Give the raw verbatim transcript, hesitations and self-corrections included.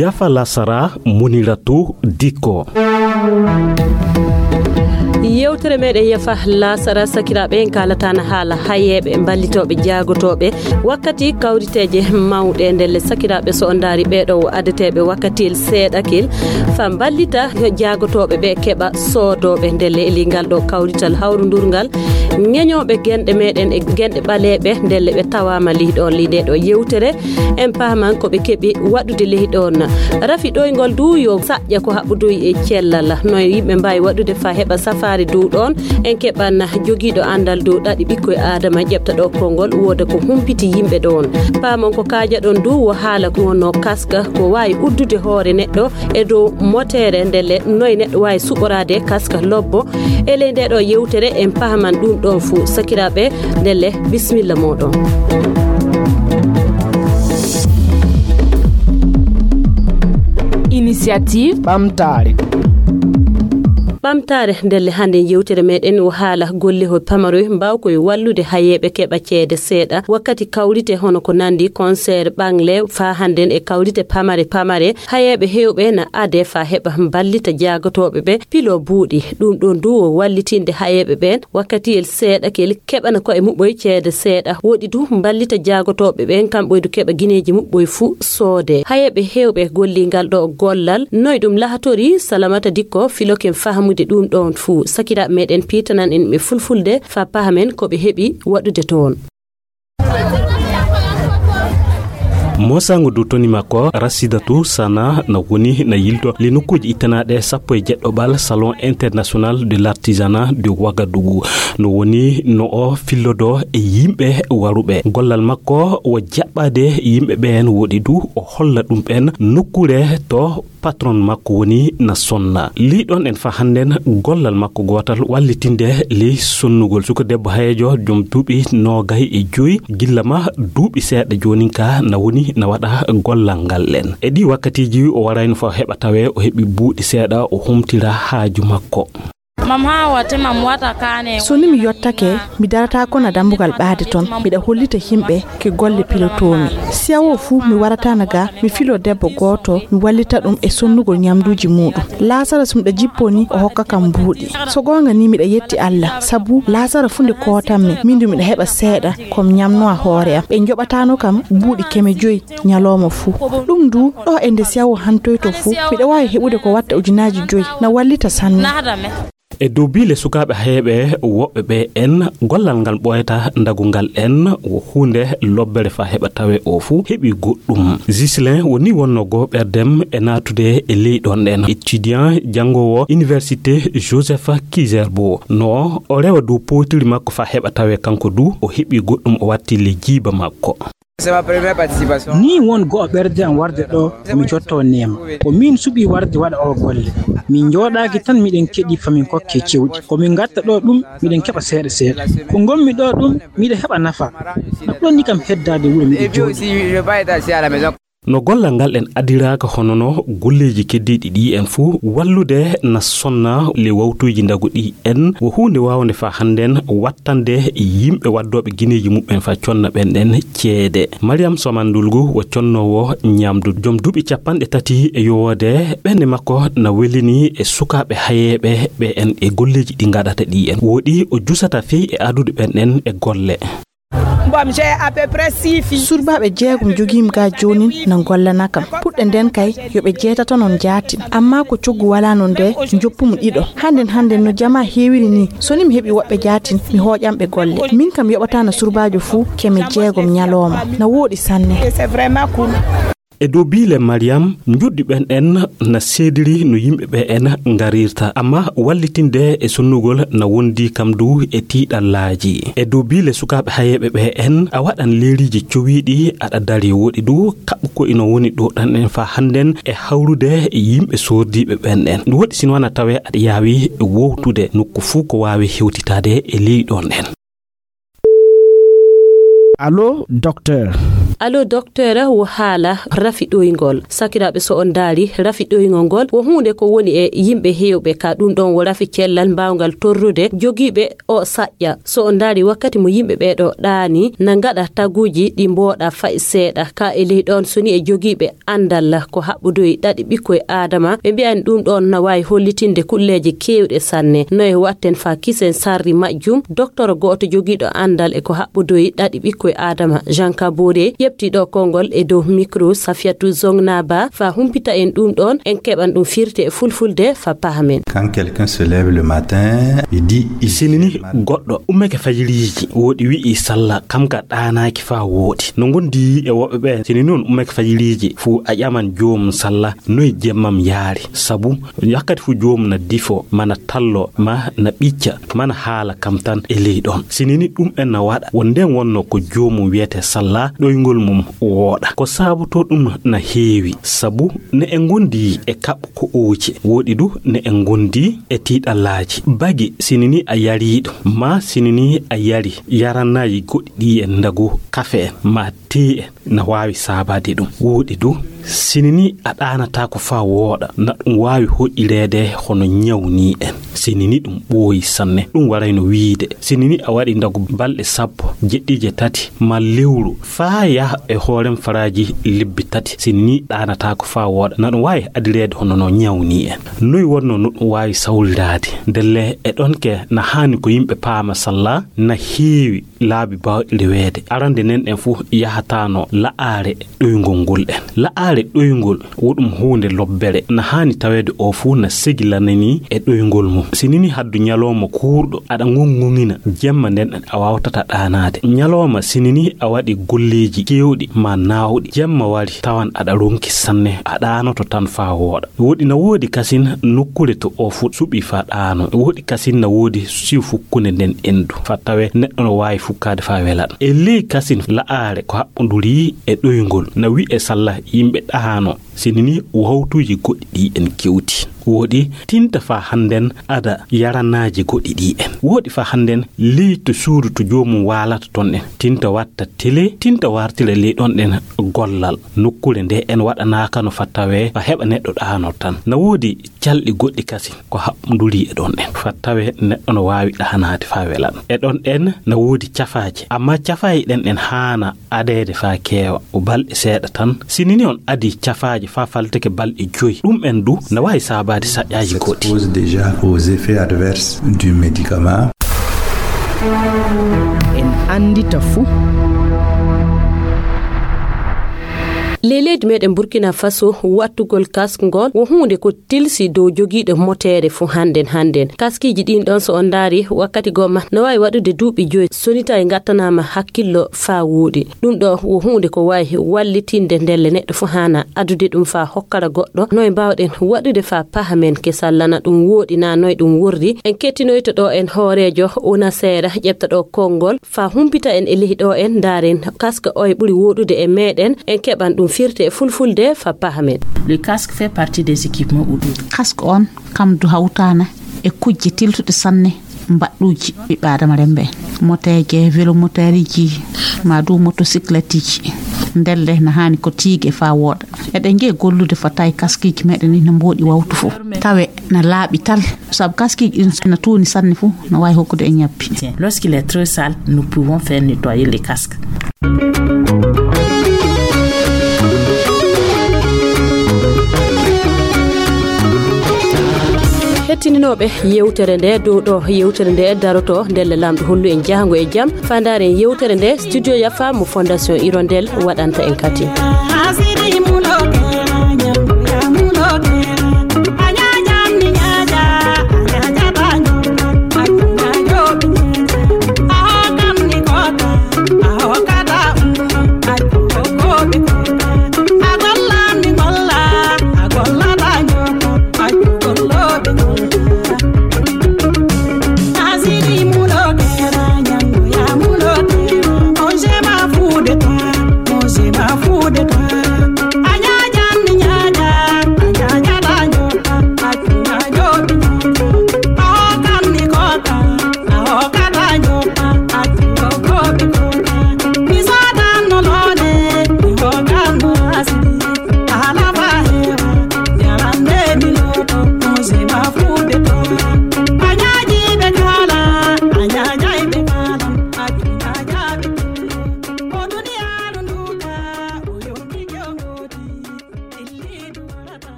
Yafa lasara, Muniratu Dikko. Yewtere meɗen Yafa lasara, sakiraaɓe, en kaalataana haala hayeeɓe, mballitooɓe, jaagotooɓe wakkati kawriteeje mawɗe. Ndelle, sakiraaɓe, so on ndaari, ɓeeɗo o adeteeɓe wakkatiyel seeɗakel fa mballita jaagotooɓe ɓe keɓa soodooɓe. Ndelle, e ley ngal ɗo kawrital hawrundurngal, ŋeñooɓe genɗe meɗen e genɗe ɓaleeɓe, ndelle ɓe tawaama ley ɗoon, ley nde ɗo yewtere. En paaman ko ɓe keɓi waɗude ley ɗoon. Rafi ɗoyngol du yo saƴƴa ko haɓɓudoyi e cellal. No yimɓe mbaawi waɗude fa heɓa safaari dow ɗoon? En keɓan jogiiɗo anndal dow ɗaɗi ɓikkoy Aadama, ƴeɓta ɗo konngol, wooda ko humpiti yimɓe ɗoon. Paamon ko kaajaɗon du wo haala ko wonno kaska, ko waawi uddude hoore neɗɗo e dow moteere, ndelle noy neɗɗo waawi suɓoraade kaska lobbo. E ley nde ɗo yewtere, en pahaman ɗum ɗon fuu, sakiraaɓe, ndelle, bismilla mooɗon. Initiative ɓamtaare. Ɓamtaare, ndelle, hannde yewtere meɗen o haala gollehol pamaroy mbaawkoy wallude hayeeɓe keɓa ceede seeɗa wakkati kawrite hono ko nandi concert, ɓangle, faa hannden e kawrite pamare pamare. Hayeeɓe heewɓe na adee faa heɓa mballita jaagotooɓe ɓe pilo buuɗi. Ɗum ɗoon du o wallitinde hayeeɓe ɓeen wakkatiyel seeɗa kel keɓana koye muɓɓoy ceede seeɗa. Woɗi du mballita jaagotooɓe ɓeen kamɓoy du keɓa gineeji muɓɓoy fuu soodee. Hayeeɓe heewɓe golli ngal ɗo gollal. Noy ɗum lahatori? Salamata Dikko filoken fahamude ɗum ɗoon fuu. Sakiraaɓe meɗen piitanan en ɓe fulfulde faa pahamen ko ɓe heɓi waɗude toon. Mosango du toni makko, Rasidatu Sana na woni na yilto le nokkuuji ittanaaɗe sappo e jeɗɗo ɓal Salon International de l'Artisanat de Ouagadougou. No woni no o fillodo e yimɓe waruɓe. Gollal makko wo jaɓɓaade yimɓe ɓeen woɗi du o holla ɗum ɓeen nokkuure to patron makko woni na sonna. Ley ɗon en faa hannden gollal makko gootal wallitinde ley sonnugol. Suka debbo hayeejo jom duuɓi noogay e joy gilla ma duuɓi seeɗa joonin ka na woni na waɗa gollal ngal ɗen. E ɗi wakkatiiji o warayno faa heɓa tawe o heɓi buuɗi seeɗa o humtira haaju makko. Mam haa wate mam wata kaane. So ni mi yottake, mi darata ko na dambugal ɓaade ton. Miɗa hollita yimɓe ke golle pilotoomi. Si awo fuu mi warata na ga, mi filo debbo gooto, mi wallita ɗum e sonnugol ñamduuji muuɗum. Laasara so miɗa jipponi, o hokka kam mbuuɗi. So goonga ni miɗa yetti Allah, sabu laasara fuu nde kootammi, min du miɗa heɓa seeɗa, ko mi ñamnoa hoore am. Ɓe njoɓatano kam buuɗi keme joyi ñalooma fuu. Ɗum du, ɗo e nde si awo hantoyto fuu, miɗa waawi heɓude ko watta ujunaaji joyi, na wallita sanne. E dow biile sukaaɓe hayeeɓe woɓɓe ɓe en, gollal ngal ɓooyata ndagu ngal en, wo huunde lobbere faa heɓa tawe o fuu heɓi goɗɗum. Ghislain woni wonno goo ɓerdem e naatude e ley ɗon ɗen. Étudiant janngoowo Université Joseph Kizerbo. No o rewa dow powtiri makko faa heɓa tawe kanko du o heɓi goɗɗum o watti le jiiba makko. Ni won go'o ɓerde am warde ɗo, mi jotto neema. Ko min suɓi warde waɗa o golle. Min njooɗaaki tan miɗen keɗi famin kokke cewɗi. Ko min ngatta ɗo ɗum, miɗen keɓa seeɗa seeɗa. Ko ngonmi ɗo ɗum, miɗa heɓa nafa. No ɗonni kam heddaade wuro miɗo jooɗi. No gollal ngal en adiraaka hono no golleeji keddiiɗi ɗi en fuu, wallude na sonna le wawtuuji ndagu ɗi en, wo huunde waawnde faa hannden wattande yimɓe waddooɓe gineeji muɓɓen faa conna ɓen ɗen ceede. Mariam Somandulgu wo connoowo ñamdu, jom duuɓi capanɗe tati e yowoode, ɓernde makko na welini e sukaaɓe hayeeɓe ɓe en e golleeji ɗi ngaɗata ɗi en. Woɗi o jusata fey e adude ɓen ɗen e golle. Bon, j'ai à peu près six filles. Surbaaɓe jeegom jogiimi ga joonin na ngollana kam. Puɗɗe nden kay, yo ɓe jeetato non jaatin. Amma ko coggu walaa non de, njoppu mo ɗiɗo. Hannden, hannden no jamaa heewiri ni, so ni mi heɓi woɓɓe jaatin, mi hooƴan ɓe golle. Min kam yoɓataana surbaajo fuu keme jeegom ñalooma. Na wooɗi sanne. Et c'est vraiment cool. E dow biile Mariam, njoɗɗi ɓen en na seediri no yimɓe ɓe en ngarirta, amma wallitinde e sonnugol na wondi kam du e tiiɗallaaji. E dow biile sukaaɓe hayeeɓe ɓe en, a waɗan leeriiji cowiiɗi aɗa dari woɗi du, kaɓɓu ko ino woni ɗo ɗan en faa hannden e hawrude e yimɓe soordiiɓe ɓen en. Ɗum woɗi sino wana tawe aɗa yaawi wowtude nokku fuu ko waawi hewtitaade e ley ɗon en. Allo, docteur. Allo, docteur, wo haala rafi ɗoyngol. Sakiraaɓe, so on ndaari rafi ɗoyngol ngol, wo huunde ko woni e yimɓe heewɓe ka. Ɗum ɗoon wo rafi cellal mbaawngal torrude jogiiɓe o saƴƴa. So on ndaari wakkati mo yimɓe ɓee ɗoo ɗaani, na ngaɗa taguuji ɗi mbooɗa fay seeɗa. Ka e ley ɗoon, so ni e jogiiɓe anndal ko haɓɓodoyi ɗaɗi ɓikkoy Aadama, ɓe mbiya en ɗum ɗoon na waawi hollitinde kulleeje keewɗe sanne. No e watten faa kisen sarri majjum, docteur gooto jogiiɗo anndal e ko haɓɓodoyi ɗaɗi ɓikkoy Aadama, Jean Kabore, ƴefti ɗo konngol e dow micro Safiatou Zongnaba faa humpita en ɗum ɗoon, en keɓan ɗum firte e fulfulde faa pahamen. Quand quelqu'un se lève le matin, il dit, il Sini ni goɗɗo ummake fajiriiji, woɗi wi'i salla, kam ka ɗaanaaki faa wooɗi. No ngondi e woɓɓe ɓe, sini ni on ummake fajiriiji, fuu a ƴaman joomum salla, noy jemmam yaari. Sabu wakkati fuu joomum na difo, ma na tallo, ma na ɓicca, ma na haala kam tan e ley ɗoon. Sini ni ɗum en na waɗa, wo ndeen wonnoo ko joomum wiyetee salla, ɗoyngol mum wooɗa. Ko saabotoo ɗum na heewi, sabu ne en ngondi e kaɓɓo ko ooci, woɗi du ne en ngondi e tiiɗallaaji. Bagi sini ni a yariiɗo, ma sini ni a yari yarannaaji goɗɗi ɗi en ndagu kafe en, ma tee en, na waawi saabaade ɗum. Woɗi du, sini ni a ɗaanataako faa wooɗa, na ɗum waawi hoɗireede hono ñawni en. Sini ni ɗum ɓooyi sanne. Ɗum warayno wiide, sini ni a waɗi ndagu balɗe sappo, jeɗɗi, jeetati, ma lewru, faa yaha e hoorem faraaji lebbi tati, sini ni ɗaanataako faa wooɗa, na ɗum waawi adireede hono no ñawni en. Noy wonnoo no ɗum waawi sawriraade? Ndelle e ɗoon ke na haani ko yimɓe paama salla na heewi laabi baawɗi reweede. Arande nen ɗen fuu yahataano la'aare ɗoyngol ngol en. La'aare ɗoyngol wo ɗum huunde lobbere. Na haani taweede o fuu na segilananii e ɗoyngol mum. Sini ni haddu ñalooma kuurɗo aɗa ŋoŋŋoŋina, jemma nden a waawtata ɗaanaade. Ñalooma sini ni a waɗi golleeji keewɗi ma naawɗi. Jemma wari tawan aɗa ronki sanne, a ɗaanoto tan faa wooɗa. Woɗi na woodi kasin nokkuure to o fu-, suɓi faa ɗaano. Woɗi kasin na woodi siw fukkunde nden endu. Faa tawe neɗɗo no waawi fukkaade faa wela. E ley kasin la'aare ko haɓɓonduri e ɗoyngol. Na wi'e salla yimɓe ɗaano. Sini ni wawtuuji goɗɗi ɗi en kewti. Woɗi tinta faa hannden ada yaranaaji goɗɗi ɗi en. Woɗi faa hannden ley to suudu to joomum waalata ton en. Tinta watta tele, tinta wartira ley ɗon ɗen gollal. Nokkuure nde en waɗanaaka no faa tawe faa heɓa neɗɗo ɗaano tan. Na woodi calɗi goɗɗi kasi ko haɓɓonduri e ɗon ɗen. Faa tawe neɗɗo no waawi ɗaanaade faa welan. E ɗon ɗen na woodi cafaaje. Amma cafaaje ɗen ɗen haana adeede faa keewa. Ko balɗe seeɗa tan. Sini ni on adii cafaaje faa faltake balɗe joyi. Ɗum en du na waawi saabaade saƴƴaaji goɗɗi. S'expose déjà aux effets adverses du médicament. En anndita fuu. Ley leydi meɗen Burkina Faso, wattugol kask ngol wo huunde ko tilsi dow jogiiɗo moteere fuu hannden hannden. Kaskiiji ɗin ɗon, so on ndaari, wakkati gomma no waawi waɗude duuɓi joyi, so ni tawi ngattanaama hakkillo faa wooɗi. Ɗum ɗo wo huunde ko waawi wallitinde ndelle neɗɗo fuu haana adude ɗum faa hokkara goɗɗo. Noy mbaawɗen waɗude faa pahamen ke sallana ɗum wooɗi naa noy ɗum worri? En kettinoyto ɗo en hooreejo una seeɗa ƴetta ɗo konngol faa humpita en e ley ɗo en ndaaren kaska oye ɓuri wooɗude e meɗen, en keɓan ɗum firte e fulfulde faa pahamen. Le casque fait partie des équipements ou d'autres. Casque on kam du hawtaana e kujje tiltuɗe sanne mbaɗɗuuji ɓiɓɓe Aadama remmbe. Moteeje, velomoteeriji, maa du motosikleteji. Ndelle na haani ko tiige faa wooɗa. Eɗen ngiya gollude faa tawi kaskiiji meɗen ɗi na mbooɗi wawtu fof. Tawe na laaɓi tal. Sabu kaskiiji ɗin so na tuuni sanne fof, na waawi hokkude en ñabbi. Lorsqu'il est trop sale, nous pouvons faire nettoyer les casques. Hettininooɓe yewtere nde, dow ɗo yewtere nde daroto, ndelle Laamɗo hollu en jahango e jam. Faa ndaaren yewtere nde, Studio Yafa mo Fondation Hirondelle waɗanta en kadi.